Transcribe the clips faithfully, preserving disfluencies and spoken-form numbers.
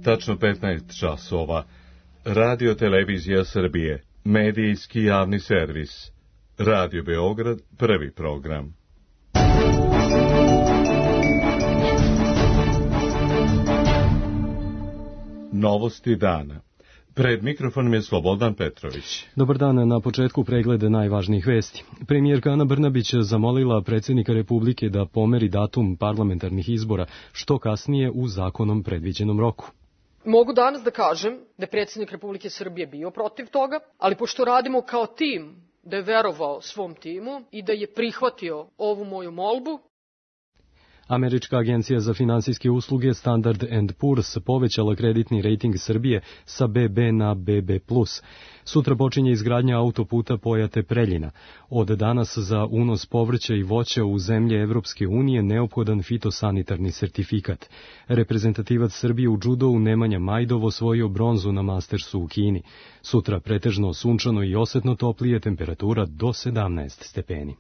tačno petnaest časova. Radio Televizija Srbije, medijski javni servis. Radio Beograd, prvi program. Novosti dana. Pred mikrofonom je Slobodan Petrović. Dobar dan, na početku preglede najvažnijih vesti. Premijerka Ana Brnabić zamolila predsjednika Republike da pomeri datum parlamentarnih izbora što kasnije u zakonom predviđenom roku. Mogu danas da kažem da je predsjednik Republike Srbije bio protiv toga, ali pošto radimo kao tim, da je verovao svom timu i da je prihvatio ovu moju molbu. Američka agencija za finansijske usluge Standard and Poor's povećala kreditni rejting Srbije sa be be na be be plus. Sutra počinje izgradnja autoputa Pojate-Preljina. Od danas za unos povrća i voća u zemlje Evropske unije neophodan fitosanitarni sertifikat. Reprezentativac Srbije u džudou Nemanja Majdov osvojio bronzu na Mastersu u Kini. Sutra pretežno sunčano i osetno toplije, temperatura do sedamnaest stepeni.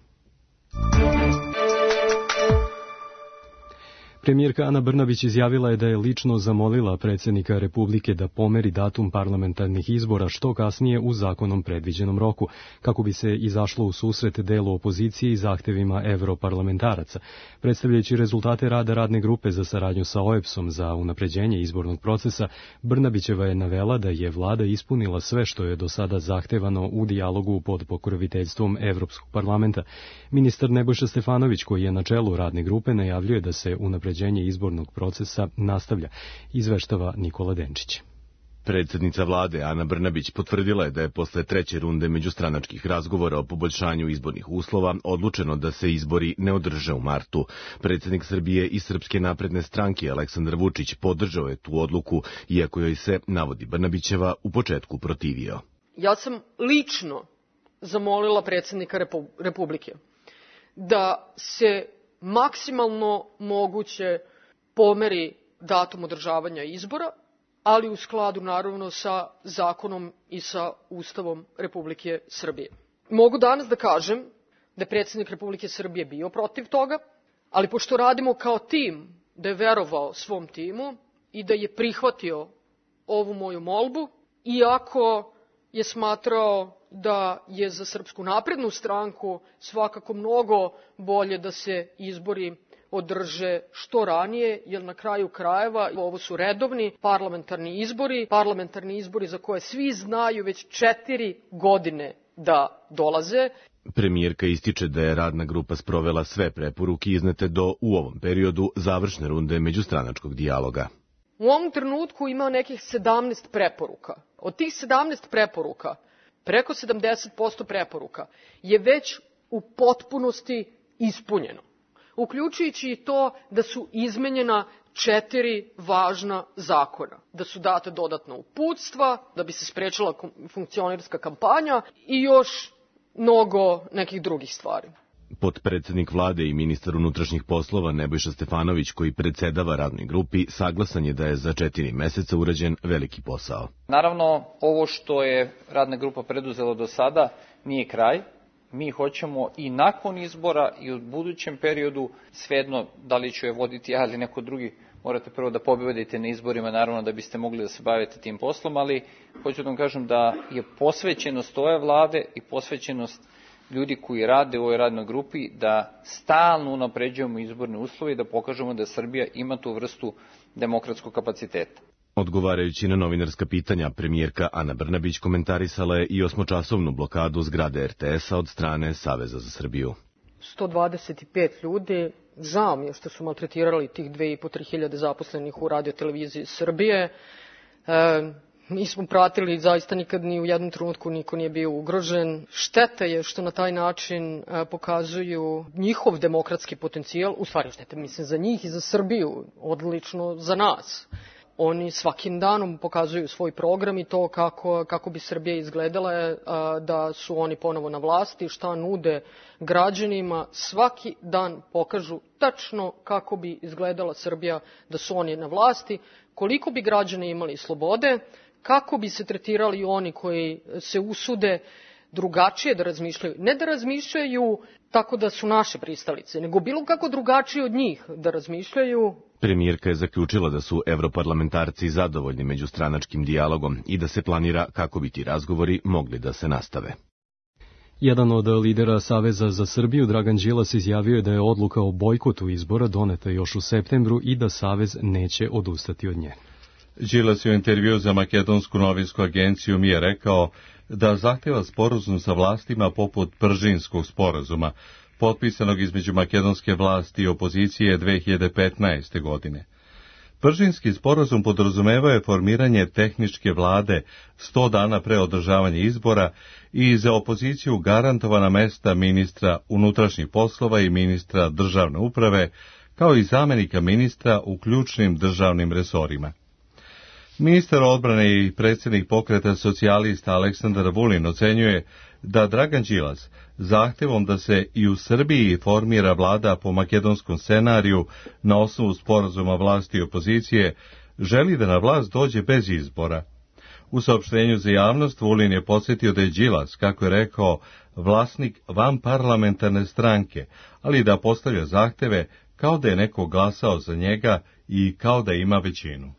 Premijerka Ana Brnabić izjavila je da je lično zamolila predsjednika Republike da pomeri datum parlamentarnih izbora što kasnije u zakonom predviđenom roku, kako bi se izašlo u susret delu opozicije i zahtevima evroparlamentaraca. Predstavljajući rezultate rada radne grupe za saradnju sa O E B S-om za unapređenje izbornog procesa, Brnabićeva je navela da je vlada ispunila sve što je do sada zahtevano u dijalogu pod pokroviteljstvom Evropskog parlamenta. Ministar Nebojša Stefanović, koji je na čelu radne grupe, najavljuje da se unapređenje izbornog procesa nastavlja, izveštava Nikola Denčić. Predsjednica vlade Ana Brnabić potvrdila je da je posle treće runde međustranačkih razgovora o poboljšanju izbornih uslova odlučeno da se izbori ne održe u martu. Predsjednik Srbije i Srpske napredne stranke Aleksandar Vučić podržao je tu odluku, iako joj se, navodi Brnabićeva, u početku protivio. Ja sam lično zamolila predsjednika Republike da se maksimalno moguće pomeri datum održavanja izbora, ali u skladu naravno sa zakonom i sa Ustavom Republike Srbije. Mogu danas da kažem da je predsjednik Republike Srbije bio protiv toga, ali pošto radimo kao tim, da je verovao svom timu i da je prihvatio ovu moju molbu, iako je smatrao da je za Srpsku naprednu stranku svakako mnogo bolje da se izbori održe što ranije, jer na kraju krajeva ovo su redovni parlamentarni izbori, parlamentarni izbori za koje svi znaju već četiri godine da dolaze. Premijerka ističe da je radna grupa sprovela sve preporuke iznete do u ovom periodu završne runde međustranačkog dijaloga. U ovom trenutku ima nekih sedamnaest preporuka. Od tih sedamnaest preporuka, preko sedamdeset posto preporuka je već u potpunosti ispunjeno, uključujući i to da su izmenjena četiri važna zakona, da su date dodatna uputstva, da bi se sprečila funkcionerska kampanja i još mnogo nekih drugih stvari. Potpredsednik vlade i ministar unutrašnjih poslova Nebojša Stefanović, koji predsedava radnoj grupi, saglasan je da je za četiri meseca urađen veliki posao. Naravno, ovo što je radna grupa preduzela do sada nije kraj. Mi hoćemo i nakon izbora i u budućem periodu, svejedno da li ću je voditi ja ili neko drugi, morate prvo da pobedite na izborima, naravno da biste mogli da se bavite tim poslom, ali hoću da vam kažem da je posvećenost ove vlade i posvećenost ljudi koji rade u ovoj radnoj grupi da stalno unapređujemo izborne uslove i da pokažemo da Srbija ima tu vrstu demokratskog kapaciteta. Odgovarajući na novinarska pitanja, premijerka Ana Brnabić komentarisala je i osmočasovnu blokadu zgrade er te es-a od strane Saveza za Srbiju. sto dvadeset pet ljudi, žao mi je što su maltretirali tih dve i po tri hiljade zaposlenih u Radio televiziji Srbije. E, Mi smo pratili, zaista nikad ni u jednom trenutku niko nije bio ugrožen. Šteta je što na taj način pokazuju njihov demokratski potencijal, u stvari šteta mislim za njih i za Srbiju, odlično za nas. Oni svakim danom pokazuju svoj program i to kako, kako bi Srbija izgledala, da su oni ponovo na vlasti, šta nude građanima. Svaki dan pokažu tačno kako bi izgledala Srbija da su oni na vlasti, koliko bi građani imali slobode, kako bi se tretirali oni koji se usude drugačije da razmišljaju. Ne da razmišljaju tako da su naše pristalice, nego bilo kako drugačije od njih da razmišljaju Premijerka je zaključila da su evroparlamentarci zadovoljni međustranačkim dijalogom i da se planira kako bi ti razgovori mogli da se nastave. Jedan od lidera Saveza za Srbiju, Dragan Đilas, izjavio je da je odluka o bojkotu izbora doneta još u septembru i da Savez neće odustati od nje. Đilas je u intervju za makedonsku novinsku agenciju mi je rekao da zahteva sporazum sa vlastima poput Pržinskog sporazuma, potpisanog između makedonske vlasti i opozicije dve hiljade petnaeste. godine. Pržinski sporazum podrazumevao je formiranje tehničke vlade sto dana pre održavanja izbora i za opoziciju garantovana mesta ministra unutrašnjih poslova i ministra državne uprave, kao i zamenika ministra u ključnim državnim resorima. Ministar odbrane i predsjednik pokreta socijalista Aleksandar Vulin ocenjuje da Dragan Đilas zahtevom da se i u Srbiji formira vlada po makedonskom scenariju na osnovu sporazuma vlasti i opozicije želi da na vlast dođe bez izbora. U saopštenju za javnost Vulin je podsjetio da je Đilas, kako je rekao, vlasnik vanparlamentarne stranke, ali da postavlja zahteve kao da je neko glasao za njega i kao da ima većinu.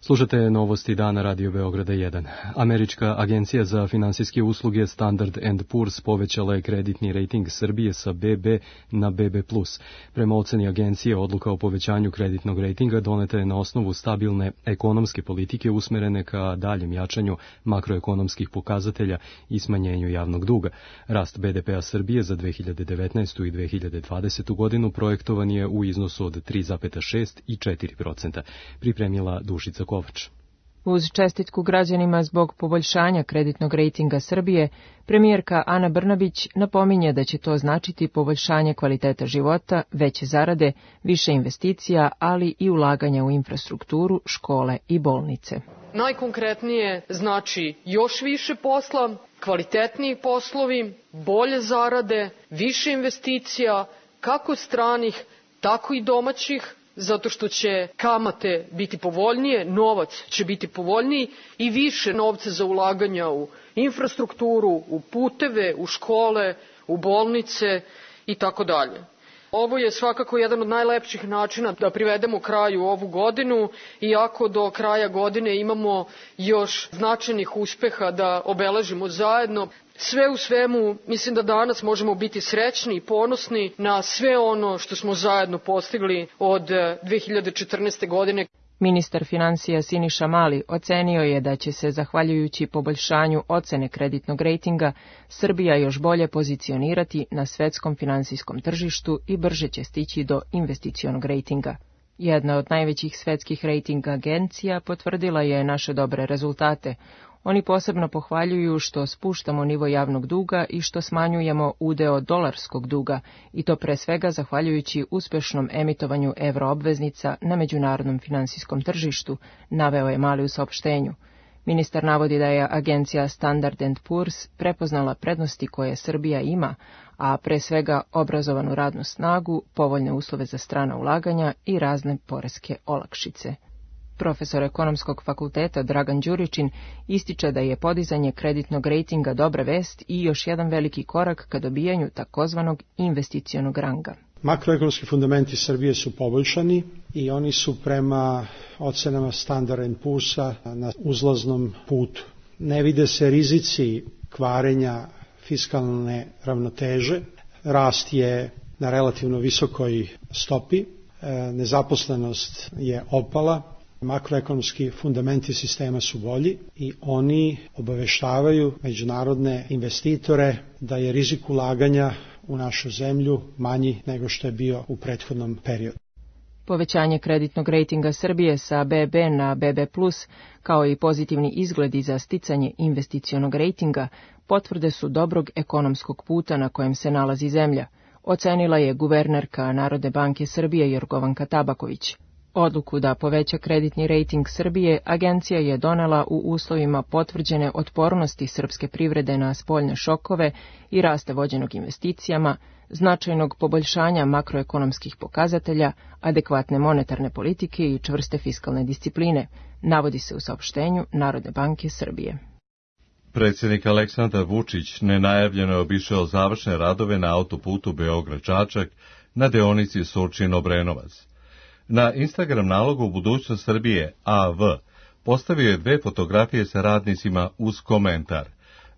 Slušate novosti dana Radio Beograda jedan. Američka agencija za finansijske usluge Standard and Poor's povećala je kreditni rejting Srbije sa be be na be be plus. Prema oceni agencije, odluka o povećanju kreditnog rejtinga doneta je na osnovu stabilne ekonomske politike usmerene ka daljem jačanju makroekonomskih pokazatelja i smanjenju javnog duga. Rast be de pea Srbije za dve hiljade devetnaestu i dve hiljade dvadesetu. godinu projektovan je u iznosu od tri zarez šest i četiri procenta. Pripremila Dušica Kovač. Uz čestitku građanima zbog poboljšanja kreditnog rejtinga Srbije, premijerka Ana Brnabić napominje da će to značiti poboljšanje kvaliteta života, veće zarade, više investicija, ali i ulaganja u infrastrukturu, škole i bolnice. Najkonkretnije znači još više posla, kvalitetniji poslovi, bolje zarade, više investicija, kako stranih, tako i domaćih, zato što će kamate biti povoljnije, novac će biti povoljniji i više novca za ulaganja u infrastrukturu, u puteve, u škole, u bolnice i tako dalje. Ovo je svakako jedan od najlepših načina da privedemo kraju ovu godinu, iako do kraja godine imamo još značajnih uspeha da obeležimo zajedno. Sve u svemu, mislim da danas možemo biti srećni i ponosni na sve ono što smo zajedno postigli od dve hiljade četrnaeste. godine. Ministar finansija Siniša Mali ocenio je da će se, zahvaljujući poboljšanju ocene kreditnog rejtinga, Srbija još bolje pozicionirati na svetskom finansijskom tržištu i brže će stići do investicionog rejtinga. Jedna od najvećih svetskih rejting agencija potvrdila je naše dobre rezultate. Oni posebno pohvaljuju što spuštamo nivo javnog duga i što smanjujemo udeo dolarskog duga, i to pre svega zahvaljujući uspešnom emitovanju evroobveznica na međunarodnom finansijskom tržištu, naveo je Mali u saopštenju. Ministar navodi da je agencija Standard and Poor's prepoznala prednosti koje Srbija ima, a pre svega obrazovanu radnu snagu, povoljne uslove za strana ulaganja i razne poreske olakšice. Profesor ekonomskog fakulteta Dragan Đuričin ističe da je podizanje kreditnog rejtinga dobra vest i još jedan veliki korak ka dobijanju takozvanog investicionog ranga. Makroekonomski fundamenti Srbije su poboljšani i oni su prema ocenama Standard and Poor'sa na uzlaznom putu. Ne vide se rizici kvarenja fiskalne ravnoteže, rast je na relativno visokoj stopi, nezaposlenost je opala, makroekonomski fundamenti sistema su bolji i oni obaveštavaju međunarodne investitore da je rizik ulaganja u našu zemlju manji nego što je bio u prethodnom periodu. Povećanje kreditnog rejtinga Srbije sa be be na be be plus, kao i pozitivni izgledi za sticanje investicionog rejtinga, potvrde su dobrog ekonomskog puta na kojem se nalazi zemlja, ocenila je guvernerka Narodne banke Srbije Jorgovanka Tabaković. Odluku da poveća kreditni rejting Srbije agencija je donela u uslovima potvrđene otpornosti srpske privrede na spoljne šokove i rasta vođenog investicijama, značajnog poboljšanja makroekonomskih pokazatelja, adekvatne monetarne politike i čvrste fiskalne discipline, navodi se u saopštenju Narodne banke Srbije. Predsjednik Aleksandar Vučić nenajavljeno je obišao završne radove na autoputu Beograd-Čačak na deonici Surčin-Obrenovac. Na Instagram nalogu Budućnost Srbije A V postavio je dve fotografije sa radnicima uz komentar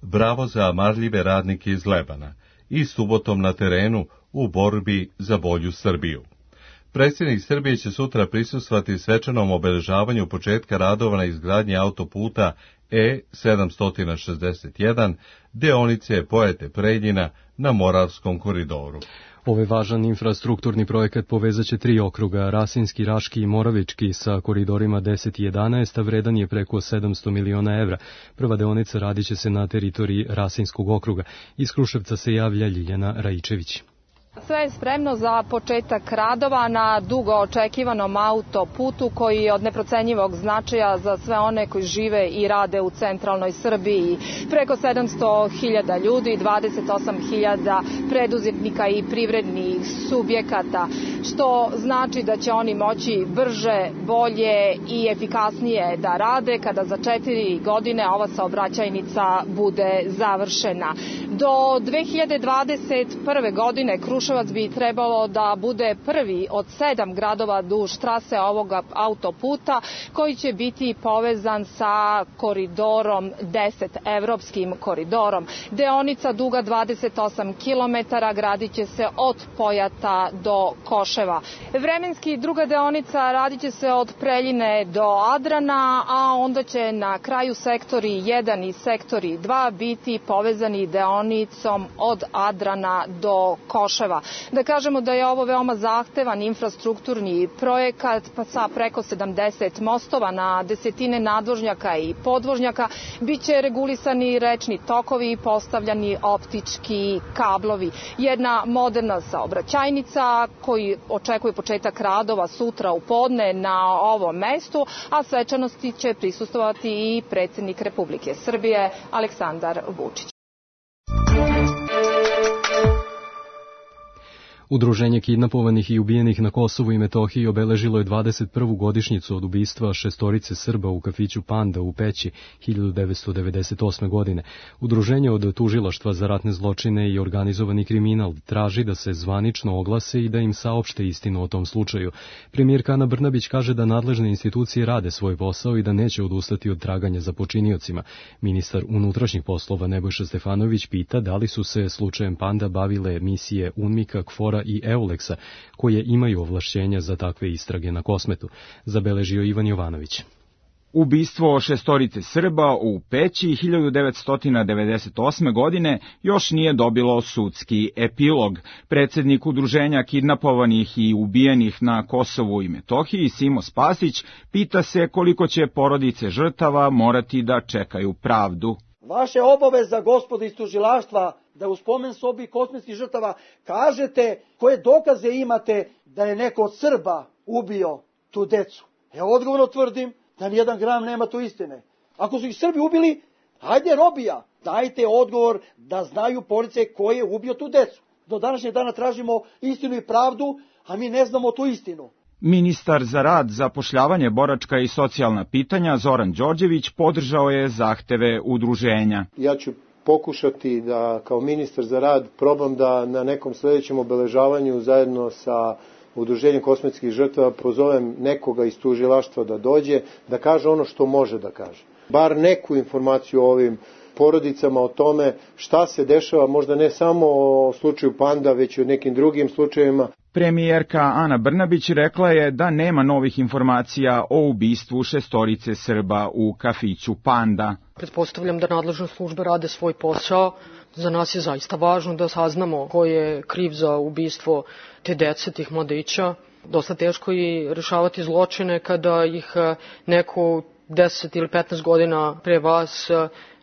"Bravo za marljive radnike iz Lebana" i "Subotom na terenu u borbi za bolju Srbiju". Predsjednik Srbije će sutra prisustvovati svečanom obeležavanju početka radova na izgradnji autoputa E sedamsto šezdeset jedan, deonice Pojate Preljina na Moravskom koridoru. Ovaj važan infrastrukturni projekat povezaće tri okruga, Rasinski, Raški i Moravički, sa koridorima deset i jedanaest, a vredan je preko sedamsto miliona evra. Prva deonica radiće se na teritoriji Rasinskog okruga. Iz Kruševca se javlja Ljiljana Raičević. Sve je spremno za početak radova na dugo očekivanom autoputu koji je od neprocenjivog značaja za sve one koji žive i rade u centralnoj Srbiji. Preko sedamsto hiljada ljudi, dvadeset osam hiljada preduzetnika i privrednih subjekata, što znači da će oni moći brže, bolje i efikasnije da rade kada za četiri godine ova saobraćajnica bude završena. Do dve hiljade dvadeset prve godine Kruševac bi trebalo da bude prvi od sedam gradova duž trase ovog autoputa koji će biti povezan sa koridorom deset, evropskim koridorom. Deonica duga dvadeset osam kilometara gradit će se od Pojata do Koševa. Vremenski druga deonica radit će se od Preljine do Adrana, a onda će na kraju sektori jedan i sektori dva biti povezani deonicom od Adrana do Koševa. Da kažemo da je ovo veoma zahtevan infrastrukturni projekat pa sa preko sedamdeset mostova na desetine nadvožnjaka i podvožnjaka, biće regulisani rečni tokovi i postavljani optički kablovi. Jedna moderna saobraćajnica koji očekuje početak radova sutra u podne na ovom mestu, a svečanosti će prisustvovati i predsjednik Republike Srbije Aleksandar Vučić. Udruženje kidnapovanih i ubijenih na Kosovu i Metohiji obeležilo je dvadeset prvu godišnjicu od ubistva šestorice Srba u kafiću Panda u Peći hiljadu devetsto devedeset osme. godine. Udruženje od tužilaštva za ratne zločine i organizovani kriminal traži da se zvanično oglase i da im saopšte istinu o tom slučaju. Premijerka Ana Brnabić kaže da nadležne institucije rade svoj posao i da neće odustati od traganja za počiniocima. Ministar unutrašnjih poslova Nebojša Stefanović pita da li su se slučajem Panda bavile misije UNMIK-a, KFOR-a i EULEX-a, koje imaju ovlašćenja za takve istrage na Kosmetu, zabeležio Ivan Jovanović. Ubistvo šestorice Srba u Peći hiljadu devetsto devedeset osme. godine još nije dobilo sudski epilog. Predsjednik Udruženja kidnapovanih i ubijenih na Kosovu i Metohiji, Simo Spasić, pita se koliko će porodice žrtava morati da čekaju pravdu. Vaše obaveza, gospodo iz tužilaštva, da u spomen sobi kosmetskih žrtava kažete koje dokaze imate da je neko od Srba ubio tu decu. Ja odgovorno tvrdim da nijedan gram nema tu istine. Ako su ih Srbi ubili, hajde robija, dajte odgovor da znaju porodice ko je ubio tu decu. Do današnjeg dana tražimo istinu i pravdu, a mi ne znamo tu istinu. Ministar za rad, zapošljavanje, boračka i socijalna pitanja Zoran Đorđević podržao je zahteve udruženja. Ja ću pokušati da kao ministar za rad probam da na nekom sljedećem obeležavanju zajedno sa Udruženjem kosmetskih žrtava pozovem nekoga iz tužilaštva da dođe, da kaže ono što može da kaže. Bar neku informaciju o ovim porodicama, o tome šta se dešava, možda ne samo o slučaju Panda, već i o nekim drugim slučajevima. Premijerka Ana Brnabić rekla je da nema novih informacija o ubistvu šestorice Srba u kafiću Panda. Pretpostavljam da nadležne službe rade svoj posao. Za nas je zaista važno da saznamo ko je kriv za ubistvo te dece, tih mladića. Dosta teško je rešavati zločine kada ih neko deset ili petnaest godina pre vas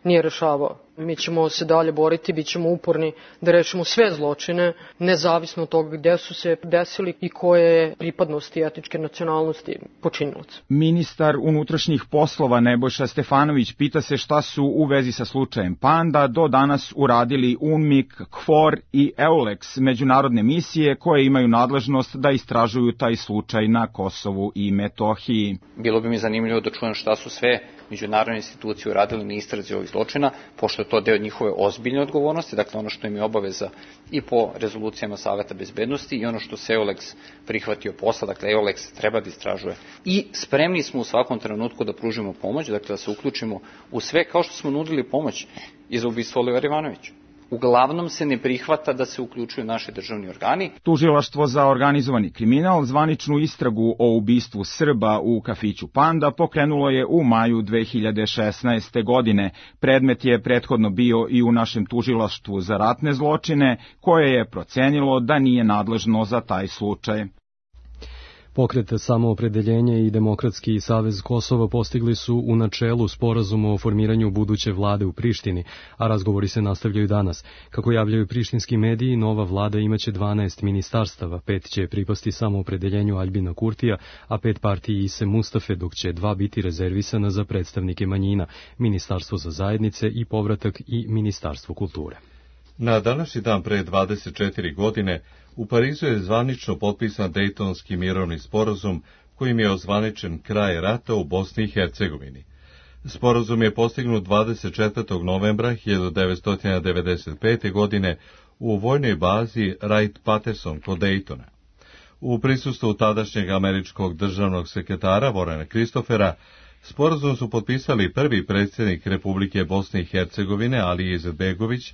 nije rešavao. Mi ćemo se dalje boriti, bit ćemo uporni da rešimo sve zločine, nezavisno od toga gde su se desili i koje je pripadnosti etničke nacionalnosti počinilaca. Ministar unutrašnjih poslova Nebojša Stefanović pita se šta su u vezi sa slučajem Panda do danas uradili UNMIK, KFOR i EULEX, međunarodne misije koje imaju nadležnost da istražuju taj slučaj na Kosovu i Metohiji. Bilo bi mi zanimljivo da čujem šta su sve međunarodne institucije uradili na istrazi ovih zločina, pošto je to deo njihove ozbiljne odgovornosti, dakle ono što im je obaveza i po rezolucijama Saveta bezbednosti i ono što se EULEX prihvatio posla, dakle EULEX treba da istražuje. I spremni smo u svakom trenutku da pružimo pomoć, dakle da se uključimo u sve, kao što smo nudili pomoć i za ubistvo Olivera Ivanovića. Uglavnom se ne prihvata da se uključuju naši državni organi. Tužilaštvo za organizovani kriminal zvaničnu istragu o ubistvu Srba u kafiću Panda pokrenulo je u maju dve hiljade šesnaeste. godine. Predmet je prethodno bio i u našem tužilaštvu za ratne zločine, koje je procenilo da nije nadležno za taj slučaj. Pokret Samoopredeljenje i Demokratski savez Kosova postigli su u načelu sporazum o formiranju buduće vlade u Prištini, a razgovori se nastavljaju danas. Kako javljaju prištinski mediji, nova vlada imaće dvanaest ministarstava, pet će pripasti Samoopredeljenju Aljbina Kurtija, a pet partiji Ise Mustafe, dok će dva biti rezervisana za predstavnike manjina, Ministarstvo za zajednice i povratak i Ministarstvo kulture. Na današnji dan pre dvadeset četiri godine u Parizu je zvanično potpisan Dejtonski mirovni sporazum kojim je ozvaničen kraj rata u Bosni i Hercegovini. Sporazum je postignut dvadeset četvrtog novembra hiljadu devetsto devedeset pete. godine u vojnoj bazi Wright-Patterson kod Dejtona. U prisustvu tadašnjeg američkog državnog sekretara Vorena Kristofera sporazum su potpisali prvi predsjednik Republike Bosne i Hercegovine Alija Izetbegović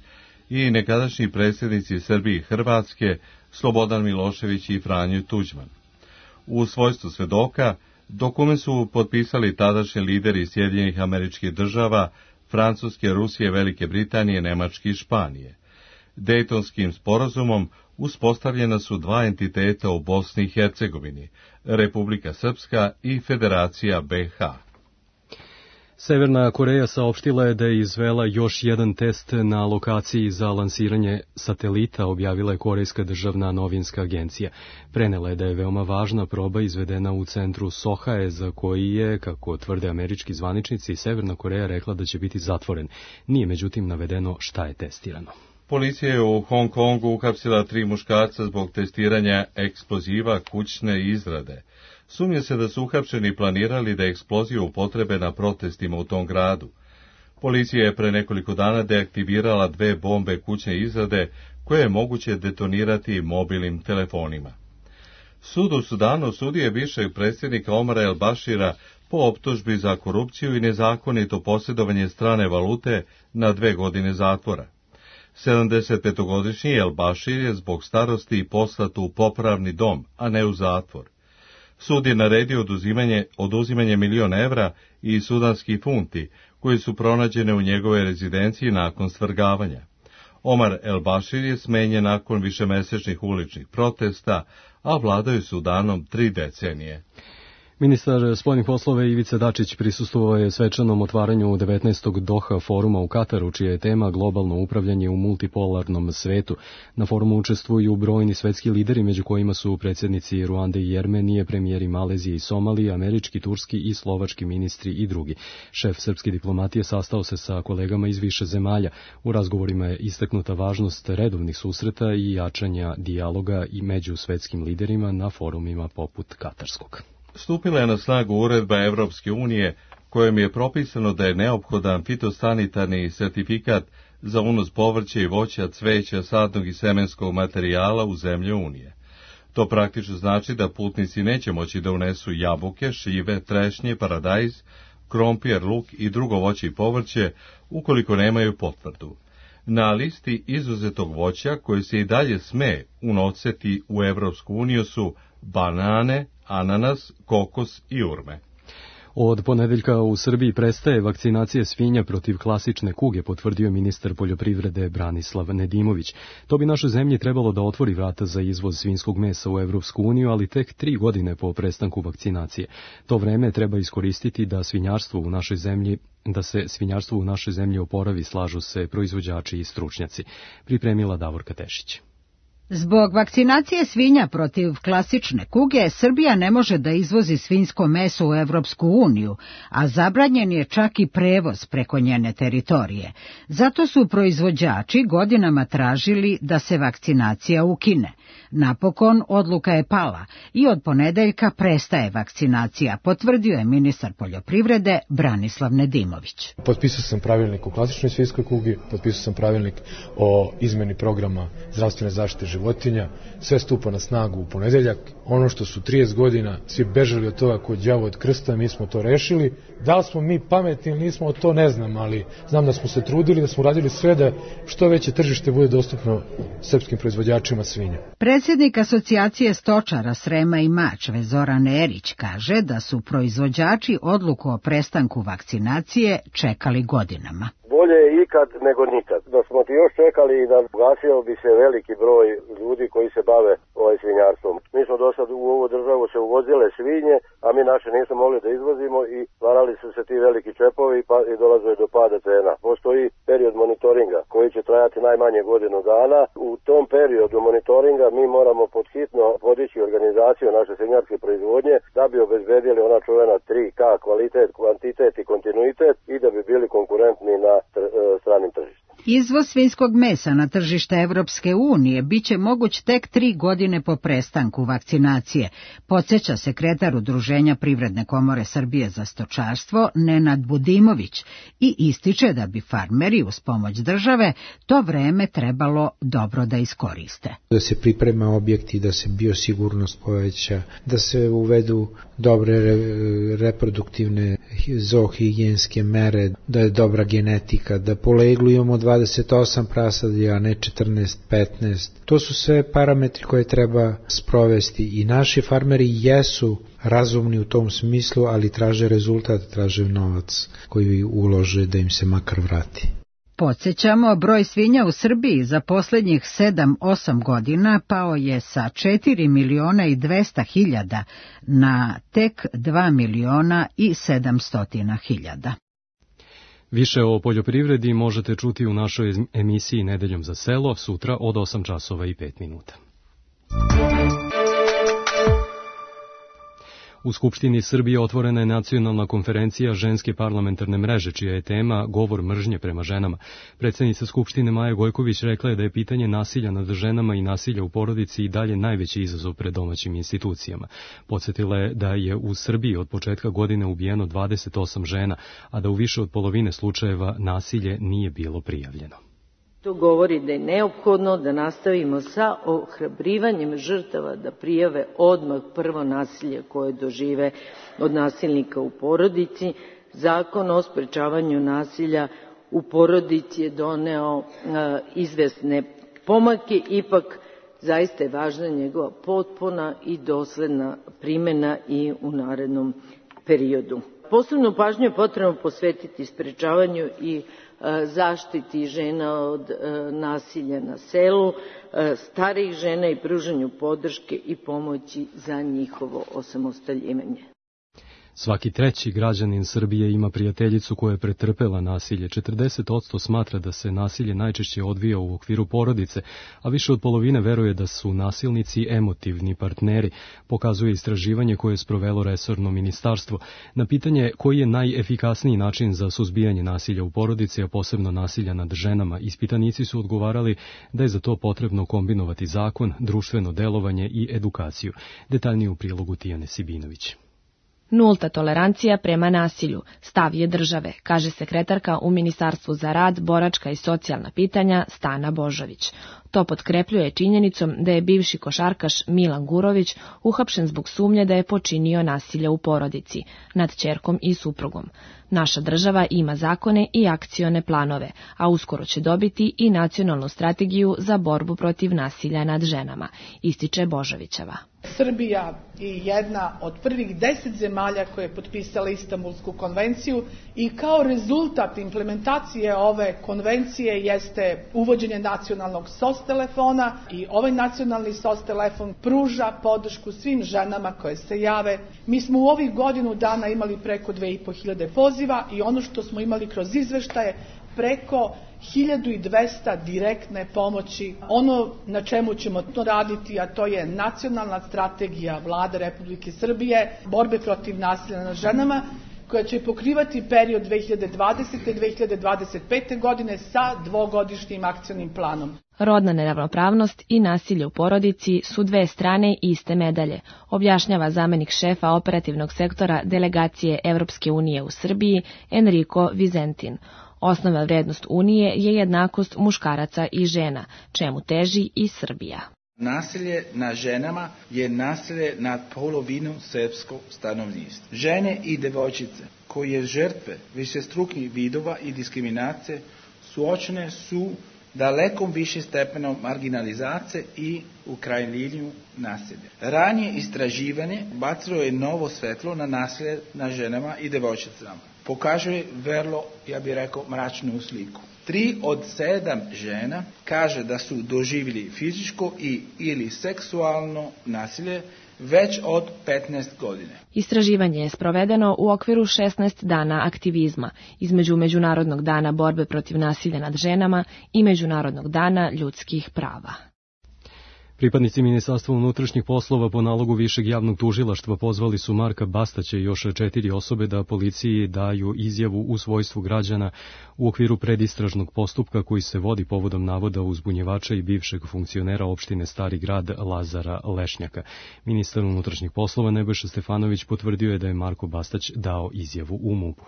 i nekadašnji predsjednici Srbije i Hrvatske Slobodan Milošević i Franjo Tuđman. U svojstvu svedoka dokument su potpisali tadašnji lideri Sjedinjenih Američkih Država, Francuske, Rusije, Velike Britanije, Nemačke i Španije. Dejtonskim sporazumom uspostavljena su dva entiteta u Bosni i Hercegovini, Republika Srpska i Federacija be ha. Severna Koreja saopštila je da je izvela još jedan test na lokaciji za lansiranje satelita, objavila je Korejska državna novinska agencija. Prenela je da je veoma važna proba izvedena u centru Sohae, za koji je, kako tvrde američki zvaničnici, Severna Koreja rekla da će biti zatvoren. Nije međutim navedeno šta je testirano. Policija je u Hong Kongu uhapsila tri muškarca zbog testiranja eksploziva kućne izrade. Sumnja se da su uhapšeni planirali da eksploziju upotrebe na protestima u tom gradu. Policija je pre nekoliko dana deaktivirala dve bombe kućne izrade koje je moguće detonirati mobilnim telefonima. Sud u Sudanu osudio je bivšeg predsjednika Omara El Bašira po optužbi za korupciju i nezakonito posjedovanje strane valute na dve godine zatvora. sedamdesetpetogodišnji El Bašir je zbog starosti poslat u popravni dom, a ne u zatvor. Sud je naredio oduzimanje, oduzimanje miliona evra i sudanskih funti, koji su pronađene u njegove rezidenciji nakon svrgavanja. Omar El Bašir je smenjen nakon višemesečnih uličnih protesta, a vladao je Sudanom tri decenije. Ministar spoljnih poslova Ivica Dačić prisustvovao je svečanom otvaranju devetnaestog Doha foruma u Kataru, čija je tema globalno upravljanje u multipolarnom svetu. Na forumu učestvuju brojni svetski lideri, među kojima su predsjednici Ruande i Jermenije, premijeri Malezije i Somalije, američki, turski i slovački ministri i drugi. Šef srpske diplomatije sastao se sa kolegama iz više zemalja. U razgovorima je istaknuta važnost redovnih susreta i jačanja dijaloga i među svetskim liderima na forumima poput katarskog. Stupila je na snagu uredba Evropske unije kojom je propisano da je neophodan fitosanitarni sertifikat za unos povrća i voća, cveća, sadnog i semenskog materijala u zemlje Unije. To praktično znači da putnici neće moći da unesu jabuke, šljive, trešnje, paradajz, krompir, luk i drugo voće i povrće ukoliko nemaju potvrdu. Na listi izuzetog voća koje se i dalje sme unositi u Evropsku uniju su banane, ananas, kokos i urme. Od ponedeljka u Srbiji prestaje vakcinacija svinja protiv klasične kuge, potvrdio ministar poljoprivrede Branislav Nedimović. To bi našoj zemlji trebalo da otvori vrata za izvoz svinjskog mesa u Evropsku uniju, ali tek tri godine po prestanku vakcinacije. To vreme treba iskoristiti da svinjarstvo u našoj zemlji da se svinjarstvo u našoj zemlji oporavi, slažu se proizvođači i stručnjaci. Pripremila Davorka Tešić. Zbog vakcinacije svinja protiv klasične kuge, Srbija ne može da izvozi svinjsko meso u Evropsku uniju, a zabranjen je čak i prevoz preko njene teritorije. Zato su proizvođači godinama tražili da se vakcinacija ukine. Napokon odluka je pala i od ponedeljka prestaje vakcinacija, potvrdio je ministar poljoprivrede Branislav Nedimović. Potpisao sam pravilnik o klasičnoj svinjskoj kugi, potpisao sam pravilnik o izmeni programa zdravstvene zaštite životinja, sve stupa na snagu u ponedeljak. Ono što su trideset godina svi bežali od toga kod đavo od krsta, mi smo to rešili. Da li smo mi pametni ili nismo, to ne znam, ali znam da smo se trudili, da smo radili sve da što veće tržište bude dostupno srpskim proizvođačima svinja. Predsjednik asocijacije stočara Srema i Mačve Zoran Erić kaže da su proizvođači odluku o prestanku vakcinacije čekali godinama. Bolje je ikad nego nikad. Da smo ti još čekali i da ugasio bi se veliki broj ljudi koji se bave ovaj svinjarstvom. Mi smo do sad u ovu državu se uvozile svinje, a mi naše nismo mogli da izvozimo i stvarali su se ti veliki čepovi pa i dolazili do pada cena. Postoji period monitoringa koji će trajati najmanje godinu dana. U tom periodu monitoringa mi moramo podhitno podići organizaciju naše svinjarske proizvodnje da bi obezbedili ona čuvena tri K, kvalitet, kvantitet i kontinuitet i da bi bili konkurentni na stranim tržištima. Izvoz svinjskog mesa na tržište Evropske unije biće moguć tek tri godine po prestanku vakcinacije, podsjeća sekretar Udruženja Privredne komore Srbije za stočarstvo Nenad Budimović i ističe da bi farmeri uz pomoć države to vreme trebalo dobro da iskoriste. Da se priprema objekti, da se biosigurnost poveća, da se uvedu dobre reproduktivne zoohigijenske mere, da je dobra genetika, da po leglu imamo dvadeset osam prasadi, a ne četrnaest petnaest. To su sve parametri koje treba sprovesti i naši farmeri jesu razumni u tom smislu, ali traže rezultat, traže novac koji ulože da im se makar vrati. Podsjećamo, broj svinja u Srbiji za posljednjih sedam osam godina pao je sa četiri miliona i dvesta hiljada na tek dva miliona i sedamstotina hiljada. Više o poljoprivredi možete čuti u našoj emisiji Nedeljom za selo sutra od osam časova i pet minuta. U Skupštini Srbije otvorena je nacionalna konferencija ženske parlamentarne mreže, čija je tema govor mržnje prema ženama. Predsjednica Skupštine Maja Gojković rekla je da je pitanje nasilja nad ženama i nasilja u porodici i dalje najveći izazov pred domaćim institucijama. Podsjetila je da je u Srbiji od početka godine ubijeno dvadeset osam žena, a da u više od polovine slučajeva nasilje nije bilo prijavljeno. To govori da je neophodno da nastavimo sa ohrabrivanjem žrtava da prijave odmah prvo nasilje koje dožive od nasilnika u porodici. Zakon o sprečavanju nasilja u porodici je doneo uh, izvesne pomake, ipak zaista je važna njegova potpuna i dosledna primena i u narednom periodu. Posebnu pažnju je potrebno posvetiti sprečavanju i zaštiti žena od nasilja na selu, starijih žena i pružanju podrške i pomoći za njihovo osamostaljivanje. Svaki treći građanin Srbije ima prijateljicu koja je pretrpela nasilje. četrdeset posto smatra da se nasilje najčešće odvija u okviru porodice, a više od polovine veruje da su nasilnici emotivni partneri, pokazuje istraživanje koje je sprovelo resorno ministarstvo. Na pitanje koji je najefikasniji način za suzbijanje nasilja u porodici, a posebno nasilja nad ženama, ispitanici su odgovarali da je za to potrebno kombinovati zakon, društveno delovanje i edukaciju. Detaljnije u prilogu Tijane Sibinović. Nulta tolerancija prema nasilju, stav je države, kaže sekretarka u Ministarstvu za rad, boračka i socijalna pitanja Stana Božović. To potkrepljuje činjenicom da je bivši košarkaš Milan Gurović uhapšen zbog sumnje da je počinio nasilje u porodici, nad ćerkom i suprugom. Naša država ima zakone i akcione planove, a uskoro će dobiti i nacionalnu strategiju za borbu protiv nasilja nad ženama, ističe Božovićeva. Srbija je jedna od prvih deset zemalja koje je potpisala Istanbulsku konvenciju i kao rezultat implementacije ove konvencije jeste uvođenje nacionalnog S O S telefona i ovaj nacionalni S O S telefon pruža podršku svim ženama koje se jave. Mi smo u ovih godinu dana imali preko dve i po hiljade poziva i ono što smo imali kroz izveštaje preko hiljadu dvesta direktne pomoći. Ono na čemu ćemo to raditi, a to je nacionalna strategija Vlade Republike Srbije, borbe protiv nasilja nad ženama, koja će pokrivati period dve hiljade dvadesete do dve hiljade dvadeset pete. godine sa dvogodišnjim akcionim planom. Rodna neravnopravnost i nasilje u porodici su dve strane iste medalje, objašnjava zamenik šefa operativnog sektora delegacije Evropske unije u Srbiji Enrico Vizentin. Osnovna vrednost Unije je jednakost muškaraca i žena, čemu teži i Srbija. Nasilje nad ženama je nasilje nad polovinom srpskog stanovništva. Žene i devojčice koje žrtve višestrukih vidova i diskriminacije suočene su daleko više stepenom marginalizacije i u krajnjinu nasilja. Ranije istraživanje bacilo je novo svetlo na nasilje nad ženama i devojčicama. Pokazuje vrlo, ja bih rekao, mračnu sliku. Tri od sedam žena kaže da su doživjeli fizičko i ili seksualno nasilje već od petnaest godine. Istraživanje je sprovedeno u okviru šesnaest dana aktivizma između Međunarodnog dana borbe protiv nasilja nad ženama i Međunarodnog dana ljudskih prava. Pripadnici Ministarstva unutrašnjih poslova po nalogu Višeg javnog tužilaštva pozvali su Marka Bastaća i još četiri osobe da policiji daju izjavu u svojstvu građana u okviru predistražnog postupka koji se vodi povodom navoda uzbunjevača i bivšeg funkcionera opštine Stari grad Lazara Lešnjaka. Ministar unutrašnjih poslova Nebojša Stefanović potvrdio je da je Marko Bastać dao izjavu u MUP-u.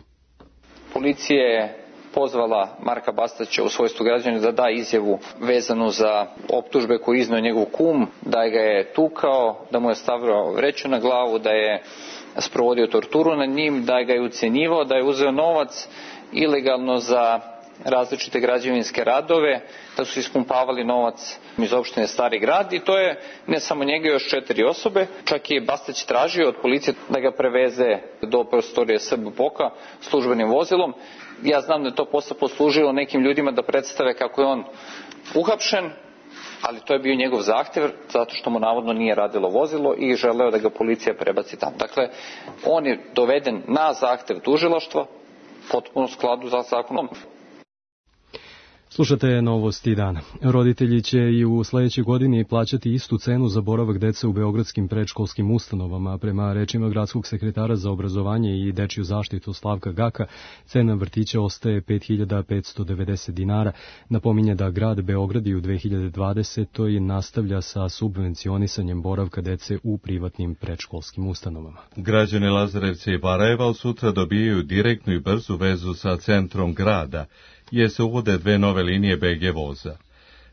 Policija je pozvala Marka Bastaća u svojstvu građana da da izjavu vezanu za optužbe koje iznio njegov kum, da ga je tukao, da mu je stavio vreću na glavu, da je sprovodio torturu nad njim, da ga je ucenjivao, da je uzeo novac ilegalno za različite građevinske radove, da su ispumpavali novac iz opštine Stari grad i to je ne samo njega, još četiri osobe. Čak je Bastać tražio od policije da ga preveze do prostorije S B P O K-a službenim vozilom. Ja znam da je to posle poslužilo nekim ljudima da predstave kako je on uhapšen, ali to je bio njegov zahtev zato što mu navodno nije radilo vozilo i želeo da ga policija prebaci tamo. Dakle, on je doveden na zahtev tužilaštva, potpuno u skladu sa zakonom. Slušate Novosti dana. Roditelji će i u sledećoj godini plaćati istu cenu za boravak dece u beogradskim predškolskim ustanovama. Prema rečima gradskog sekretara za obrazovanje i dečiju zaštitu Slavka Gaka, cena vrtića ostaje pet hiljada petsto devedeset dinara. Napominje da grad Beograd i u dve hiljade dvadesetoj nastavlja sa subvencionisanjem boravka dece u privatnim predškolskim ustanovama. Građani Lazarevca i Barajeva od sutra dobijaju direktnu i brzu vezu sa centrom grada, jer se uvode dve nove linije B G voza.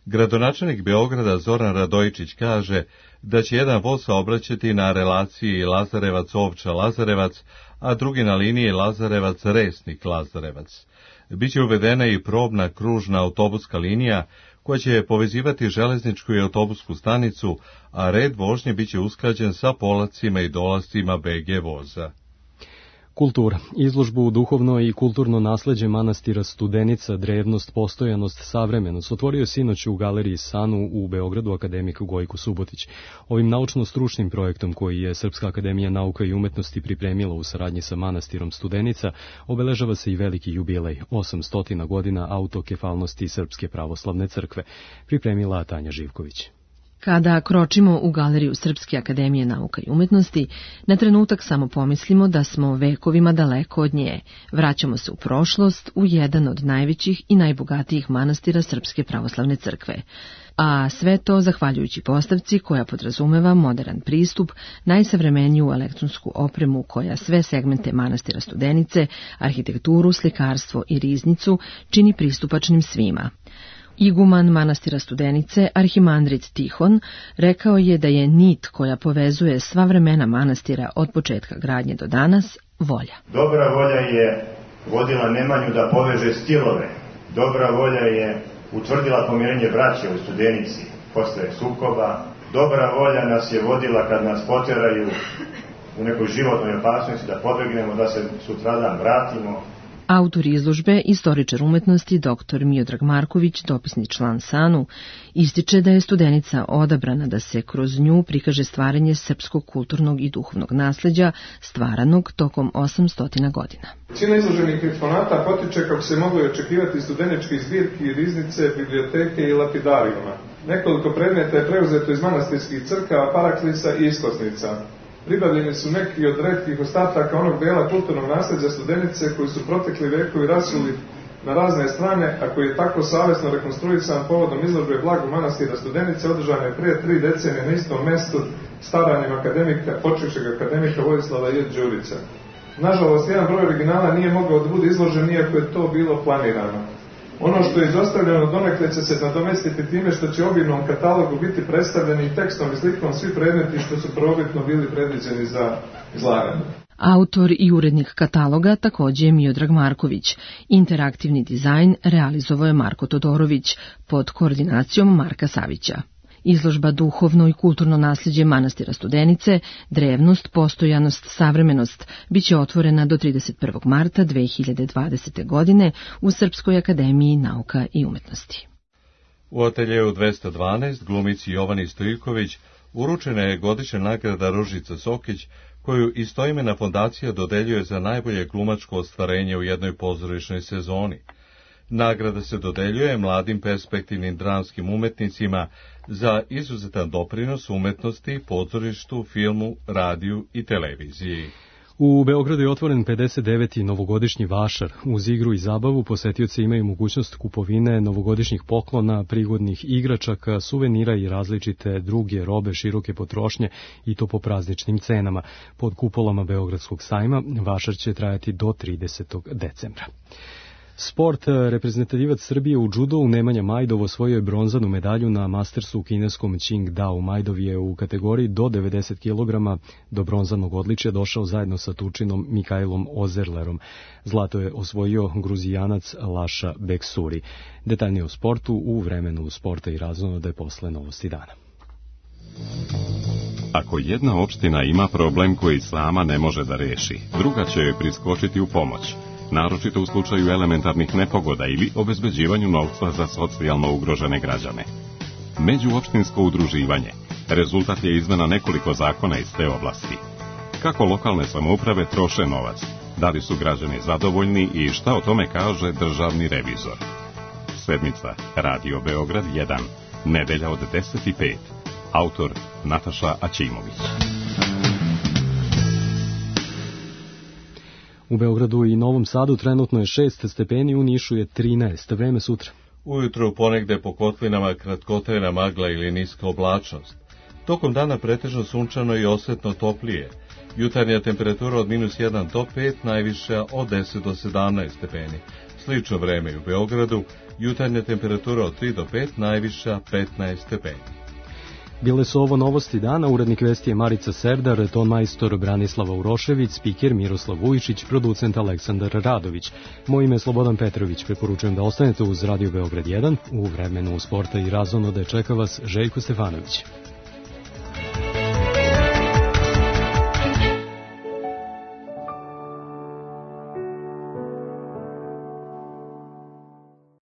Gradonačelnik Beograda Zoran Radojičić kaže da će jedan voz saobraćati na relaciji Lazarevac-Ovča-Lazarevac, a drugi na liniji Lazarevac-Resnik-Lazarevac. Biće uvedena i probna kružna autobuska linija koja će povezivati železničku i autobusku stanicu, a red vožnje biće usklađen sa polacima i dolascima B G voza. Kultura. Izložbu Duhovno i kulturno nasleđe manastira Studenica, drevnost, postojanost, savremenost otvorio sinoć u galeriji Sanu u Beogradu akademik Gojko Subotić. Ovim naučno-stručnim projektom koji je Srpska akademija nauka i umetnosti pripremila u saradnji sa manastirom Studenica obeležava se i veliki jubilej, osamsto godina autokefalnosti Srpske pravoslavne crkve, pripremila Tanja Živković. Kada kročimo u galeriju Srpske akademije nauka i umetnosti, na trenutak samo pomislimo da smo vekovima daleko od nje. Vraćamo se u prošlost, u jedan od najvećih i najbogatijih manastira Srpske pravoslavne crkve. A sve to zahvaljujući postavci koja podrazumeva modern pristup, najsavremeniju elektronsku opremu koja sve segmente manastira Studenice, arhitekturu, slikarstvo i riznicu čini pristupačnim svima. Iguman manastira Studenice, arhimandrit Tihon, rekao je da je nit koja povezuje sva vremena manastira od početka gradnje do danas volja. Dobra volja je vodila Nemanju da poveže stilove. Dobra volja je utvrdila pomirenje braće u Studenici posle sukoba. Dobra volja nas je vodila kad nas poteraju u nekoj životnoj opasnosti da pobegnemo, da se sutradan vratimo. Autor izložbe, istoričar umetnosti dr Miodrag Marković, dopisni član Sanu, ističe da je Studenica odabrana da se kroz nju prikaže stvaranje srpskog kulturnog i duhovnog nasleđa stvaranog tokom osamsto godina. Većina izloženih eksponata potiče, kako se moglo očekivati, studeničke zbirki, riznice, biblioteke i lapidarijuma. Nekoliko predmeta je preuzeto iz manastirskih crkava, paraklisa i iskosnica. Pribavljeni su neki od retkih ostataka onog dela kulturnog nasljeđa Studenice koji su protekli vekovi rasuli na razne strane, a koji je tako savjesno rekonstruisan povodom izložbe Blagu manastira Studenice, održane prije tri decenije na istom mestu staranjem akademika, počivšeg akademika Vojislava J. Đurića. Nažalost, jedan broj originala nije mogao da bude izložen, iako je to bilo planirano. Ono što je izostavljeno donekle će se nadomestiti time što će u obimnom katalogu biti predstavljeni tekstom i slikom svi predmeti što su prvobitno bili predviđeni za izlaganje. Autor i urednik kataloga takođe je Miodrag Marković. Interaktivni dizajn realizovao je Marko Todorović pod koordinacijom Marka Savića. Izložba Duhovno i kulturno nasljeđe manastira Studenice, drevnost, postojanost, savremenost, biće otvorena do trideset prvog marta dve hiljade dvadesete. godine u Srpskoj akademiji nauka i umetnosti. U ateljeu dvesta dvanaest glumici Jovani Stojiković uručena je godišnja nagrada Ružica Sokić, koju istoimena fondacija dodeljuje za najbolje glumačko ostvarenje u jednoj pozorišnoj sezoni. Nagrada se dodeljuje mladim perspektivnim dramskim umetnicima za izuzetan doprinos umetnosti, pozorištu, filmu, radiju i televiziji. U Beogradu je otvoren pedeset deveti novogodišnji vašar. Uz igru i zabavu posetioci imaju mogućnost kupovine novogodišnjih poklona, prigodnih igračaka, suvenira i različite druge robe široke potrošnje i to po prazničnim cenama. Pod kupolama Beogradskog sajma vašar će trajati do tridesetog decembra. Sport. Reprezentativac Srbije u džudou Nemanja Majdov osvojio je bronzanu medalju na Mastersu u kineskom Qingdao. Majdov je u kategoriji do devedeset kilograma do bronzanog odličja došao zajedno sa Tučinom Mikajlom Ozerlerom. Zlato je osvojio Gruzijanac Laša Beksuri. Detaljnije o sportu u vremenu sporta i razonode posle novosti dana. Ako jedna opština ima problem koji sama ne može da reši, druga će joj priskočiti u pomoć, naročito u slučaju elementarnih nepogoda ili obezbeđivanju novca za socijalno ugrožene građane. Međuopštinsko udruživanje rezultat je izmena nekoliko zakona iz te oblasti. Kako lokalne samouprave troše novac, da li su građani zadovoljni i šta o tome kaže državni revizor. Sedmica, Radio Beograd jedan, nedelja od deset i pet. Autor Nataša Aćimović. U Beogradu i Novom Sadu trenutno je šest stepeni, u Nišu je trinaest. Vreme sutra. Ujutro ponegde po kotlinama kratkotrajna magla ili niska oblačnost. Tokom dana pretežno sunčano i osetno toplije. Jutarnja temperatura od minus jedan do pet, najviša od deset do sedamnaest stepeni. Slično vreme u Beogradu, jutarnja temperatura od tri do pet, najviša petnaest stepeni. Bile su ovo novosti dana, urednik vesti je Marica Serdar, ton majstor Branislava Urošević, spiker Miroslav Vujičić, producent Aleksandar Radović. Moje ime je Slobodan Petrović, preporučujem da ostanete uz Radio Beograd jedan, u vremenu sporta i razonode čeka vas Željko Stefanović.